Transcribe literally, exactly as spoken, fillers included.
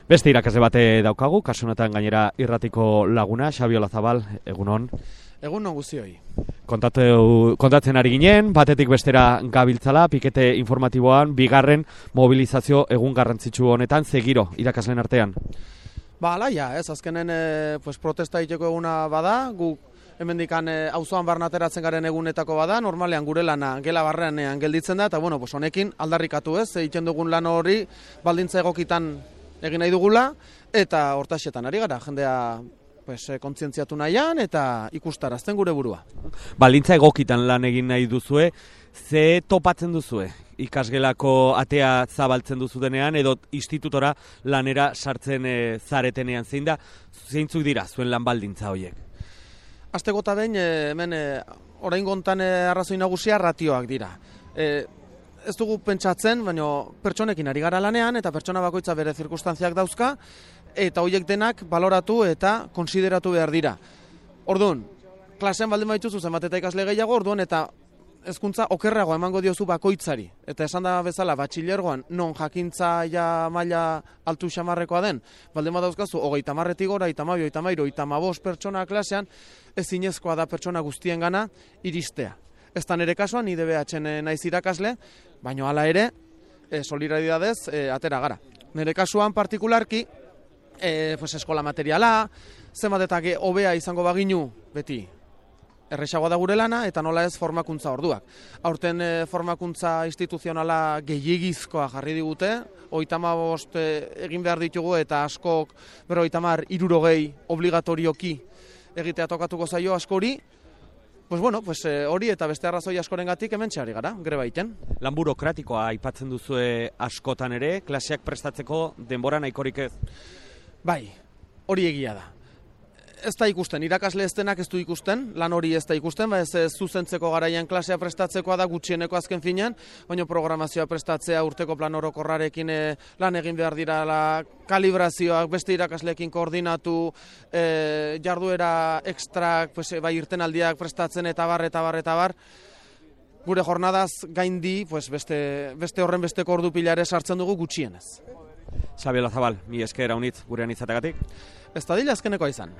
Beste irakasle bate daukagu, kasu honetan gainera irratiko laguna, Xabi Olazabal, egunon. Egunon guztioi. Kontatu, kontatzen ari ginen, batetik bestera gabiltzala, pikete informatiboan, bigarren mobilizazio egun garrantzitsu honetan, zegiro irakasleen artean. Ba, alaia, ez, azkenen e, pues, protesta egiteko eguna bada, guk hemendikan auzoan barnateratzen garen egunetako bada, normalean gure lana gela barrean gelditzen da, eta bueno, pues, honekin aldarrikatu ez, egiten dugun lan hori baldintza egokitan egin nahi dugula, eta hortaxetan ari gara, jendea pues, kontzientziatu nahian eta ikustarazten gure burua. Baldintza egokitan lan egin nahi duzue, ze topatzen duzue? Ikasgelako atea zabaltzen duzu denean, edo institutora lanera sartzen e, zaretenean, zein da, zeintzuk dira zuen lan baldintza horiek? Aste gota behin, e, hemen e, orain gontan e, arrazoi nagusia ratioak dira. E, ez dugu pentsatzen, baina pertsonekin ari gara lanean, eta pertsona bakoitza bere zirkunstantziak dauzka, eta horiek denak baloratu eta konsideratu behar dira. Orduan, klasean baldin baituzu zenbat eta ikasle gehiago, orduan eta hezkuntza okerrago emango diozu bakoitzari. Eta esan da bezala, batxilergoan, non jakintza ja maila altu xamarrekoa den, baldin badauzkazu, hogeita marretik gora, hogeita hamabi, hogeita hamairu, hogeita hamabost pertsona klasean, ezinezkoa da pertsona guztien gana iristea. Ez da nire kasuan, ni D B H naiz irakasle, baina hala ere, e, solidaridadez, e, atera gara. Nire kasuan partikularki, e, pues, eskola materiala, zenbat eta hobea izango baginu, beti, erresagoa da gure lana, eta nola ez formakuntza orduak. Aurten e, formakuntza instituzionala gehiegizkoa jarri digute, hogeita hamabost e, egin behar ditugu, eta askok, bero hogeita hamar, hirurogei obligatorioki egitea tokatuko zaio askori, pues bueno, pues e, hori eta beste arrazoi askorengatik hemen txari gara, greba egiten. Lan burokratikoa aipatzen duzue askotan ere, klaseak prestatzeko denbora nahikorik ez? Bai, hori egia da. Ez da ikusten, irakasle ez denak ez du ikusten, lan hori ez da ikusten, ba ez, ez zuzentzeko garaian klasea prestatzekoa da gutxieneko azken finean, baina programazioa prestatzea urteko plan orokorrarekin e, lan egin behar dira, la, kalibrazioak beste irakasleekin koordinatu, e, jarduera ekstrak, pues, bai irtenaldiak prestatzen eta bar, eta bar, eta bar, gure jornadaz gaindi, pues, beste, beste horren besteko ordu pilare sartzen dugu gutxienez. Xabi Olazabal, mi esker haunitz gurean izatagatik. Ez da dila azkenekoa izan.